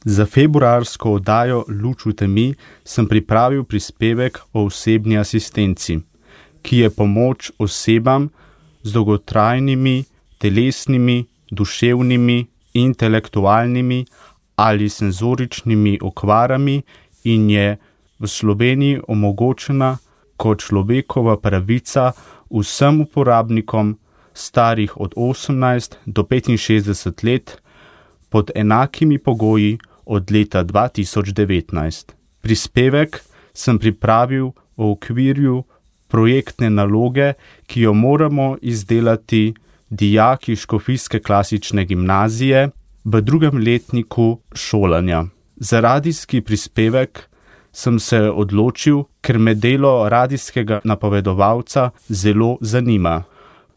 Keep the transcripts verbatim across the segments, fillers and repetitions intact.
Za februarsko oddajo Luč v temi sem pripravil prispevek o osebni asistenci, ki je pomoč osebam z dolgotrajnimi, telesnimi, duševnimi, intelektualnimi ali senzoričnimi okvarami in je v Sloveniji omogočena kot človekova pravica vsem uporabnikom starih od osemnajst do petinšestdeset let pod enakimi pogoji od leta dva tisoč devetnajst. Prispevek sem pripravil v okviru projektne naloge, ki jo moramo izdelati dijaki Škofijske klasične gimnazije v drugem letniku šolanja. Za radijski prispevek sem se odločil, ker me delo radijskega napovedovalca zelo zanima.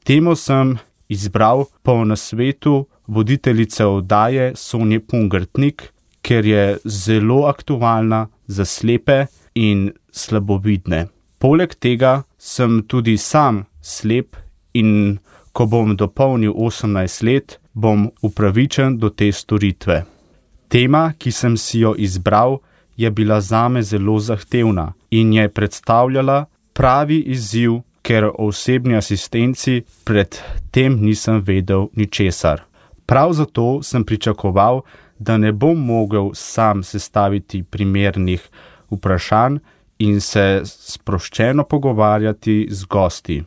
Temo sem izbral po nasvetu voditeljice oddaje Sonje Pungartnik, ker je zelo aktualna za slepe in slabovidne. Poleg tega sem tudi sam slep in ko bom dopolnil osemnajst let, bom upravičen do te storitve. Tema, ki sem si jo izbral, je bila zame zelo zahtevna in je predstavljala pravi izziv, ker o osebni asistenci pred tem nisem vedel ničesar. Prav zato sem pričakoval, da ne bom mogel sam sestaviti primernih vprašanj in se sproščeno pogovarjati z gosti.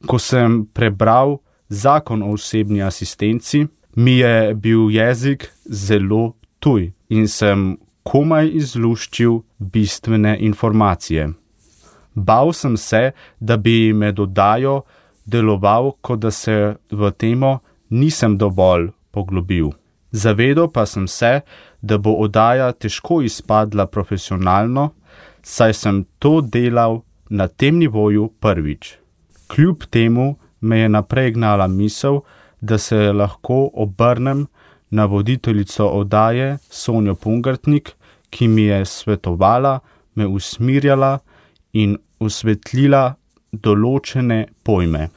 Ko sem prebral Zakon o osebni asistenci, mi je bil jezik zelo tuj in sem komaj izluščil bistvene informacije. Bal sem se, da bi med oddajo deloval, kot da se v temo nisem dovolj poglobil. Zavedal pa sem se, da bo oddaja težko izpadla profesionalno, saj sem to delal na tem nivoju prvič. Kljub temu me je naprej gnala misel, da se lahko obrnem na voditeljico oddaje Sonjo Pungartnik, ki mi je svetovala, me usmirjala in osvetlila določene pojme.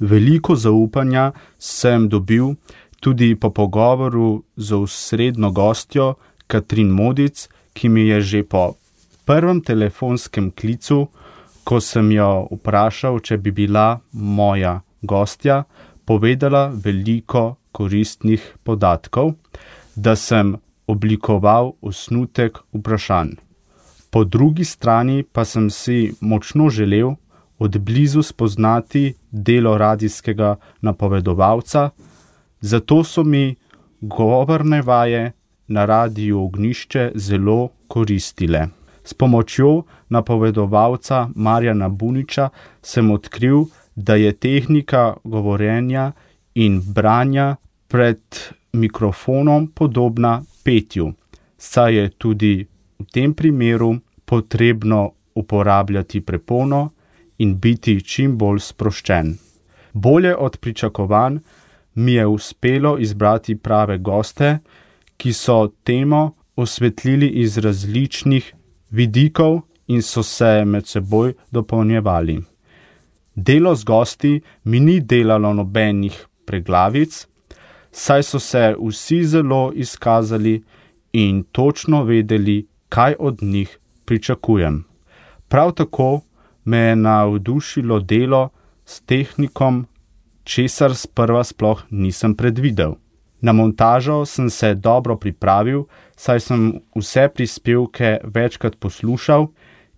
Veliko zaupanja sem dobil tudi po pogovoru z osrednjo gostjo Katrin Modic, ki mi je že po prvem telefonskem klicu, ko sem jo vprašal, če bi bila moja gostja, povedala veliko koristnih podatkov, da sem oblikoval osnutek vprašanj. Po drugi strani pa sem si močno želel od blizu spoznati delo radijskega napovedovalca, zato so mi govorne vaje na Radiu Ognjišče zelo koristile. S pomočjo napovedovalca Marjana Buniča sem odkril, da je tehnika govorjenja in branja pred mikrofonom podobna petju, saj je tudi v tem primeru potrebno uporabljati prepono in biti čim bolj sproščen. Bolje od pričakovanj mi je uspelo izbrati prave goste, ki so temo osvetlili iz različnih vidikov in so se med seboj dopolnjevali. Delo z gosti mi ni delalo nobenih preglavic, saj so se vsi zelo izkazali in točno vedeli, kaj od njih pričakujem. Prav tako me je navdušilo delo s tehnikom, česar sprva sploh nisem predvidel. Na montažo sem se dobro pripravil, saj sem vse prispevke večkrat poslušal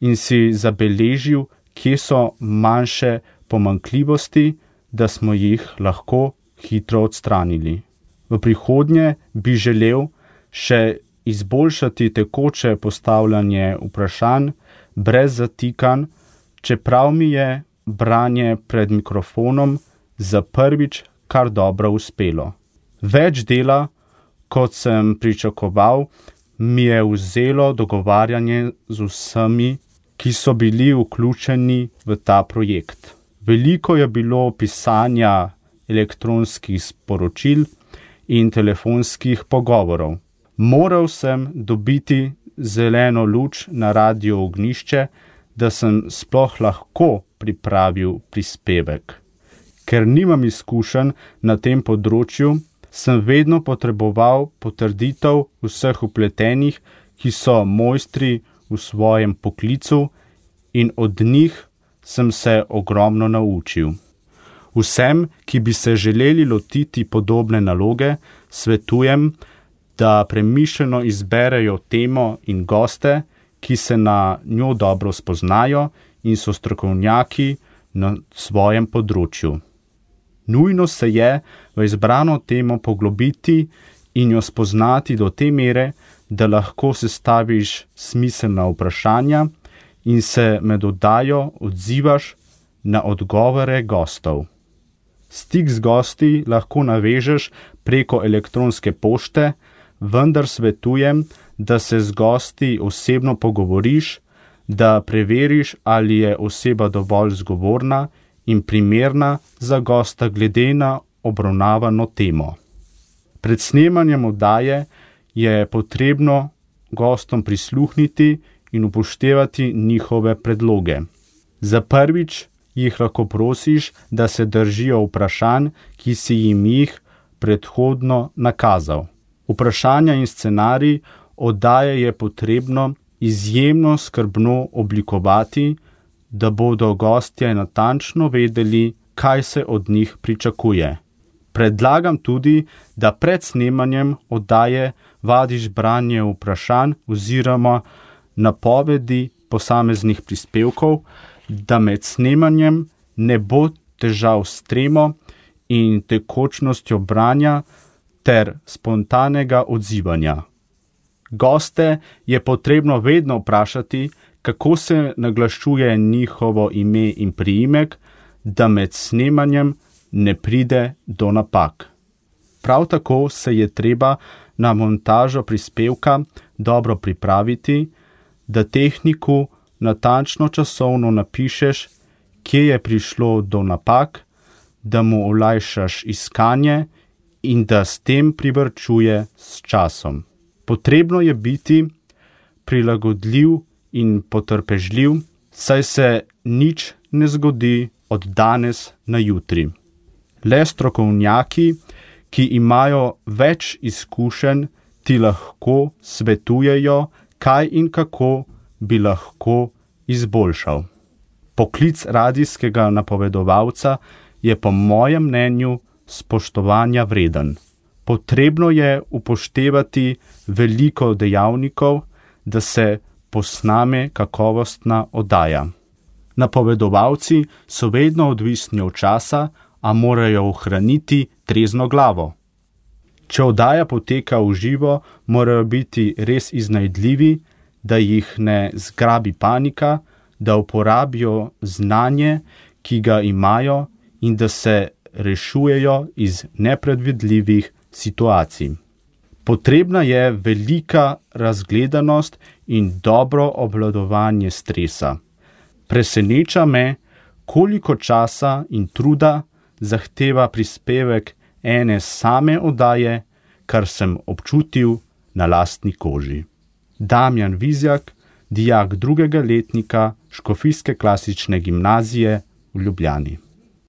in si zabeležil, kje so manjše pomanjkljivosti, da smo jih lahko hitro odstranili. V prihodnje bi želel še izboljšati tekoče postavljanje vprašanj brez zatikanj, čeprav mi je branje pred mikrofonom za prvič kar dobro uspelo. Več dela, kot sem pričakoval, mi je vzelo dogovarjanje z vsemi, ki so bili vključeni v ta projekt. Veliko je bilo pisanja elektronskih sporočil in telefonskih pogovorov. Moral sem dobiti zeleno luč na Radiu Ognjišče, da sem sploh lahko pripravil prispevek. Ker nimam izkušenj na tem področju, sem vedno potreboval potrditev vseh vpletenih, ki so mojstri v svojem poklicu, in od njih sem se ogromno naučil. Vsem, ki bi se želeli lotiti podobne naloge, svetujem, da premišljeno izberejo temo in goste, ki se na njo dobro spoznajo in so strokovnjaki na svojem področju. Nujno se je v izbrano temo poglobiti in jo spoznati do te mere, da lahko sestaviš smiselna vprašanja in se med oddajo odzivaš na odgovore gostov. Stik z gosti lahko navežeš preko elektronske pošte, vendar svetujem, da se z gosti osebno pogovoriš, da preveriš, ali je oseba dovolj zgovorna in primerna za gosta glede na obravnavano temo. Pred snemanjem oddaje je potrebno gostom prisluhniti in upoštevati njihove predloge. Za prvič jih lahko prosiš, da se držijo vprašanj, ki si jim jih predhodno nakazal. Vprašanja in scenarij oddaje je potrebno izjemno skrbno oblikovati, da bodo gostje natančno vedeli, kaj se od njih pričakuje. Predlagam tudi, da pred snemanjem oddaje vadiš branje vprašanj oziroma napovedi posameznih prispevkov, da med snemanjem ne bo težav s tremo in tekočnostjo branja ter spontanega odzivanja. Goste je potrebno vedno vprašati, kako se naglašuje njihovo ime in priimek, da med snemanjem ne pride do napak. Prav tako se je treba na montažo prispevka dobro pripraviti, da tehniku natančno časovno napišeš, kje je prišlo do napak, da mu olajšaš iskanje in da s tem privarčuje s časom. Potrebno je biti prilagodljiv in potrpežljiv, saj se nič ne zgodi od danes na jutri. Le strokovnjaki, ki imajo več izkušenj, ti lahko svetujejo, kaj in kako bi lahko izboljšal. Poklic radijskega napovedovalca je po mojem mnenju spoštovanja vreden. Potrebno je upoštevati veliko dejavnikov, da se posname kakovostna oddaja. Napovedovalci so vedno odvisni od časa, a morajo ohraniti trezno glavo. Če oddaja poteka v živo, morajo biti res iznajdljivi, da jih ne zgrabi panika, da uporabijo znanje, ki ga imajo, in da se rešujejo iz nepredvidljivih situacij. Potrebna je velika razgledanost in dobro obvladovanje stresa. Preseneča me, koliko časa in truda zahteva prispevek ene same oddaje, kar sem občutil na lastni koži. Damjan Vizjak, dijak drugega letnika Škofijske klasične gimnazije v Ljubljani.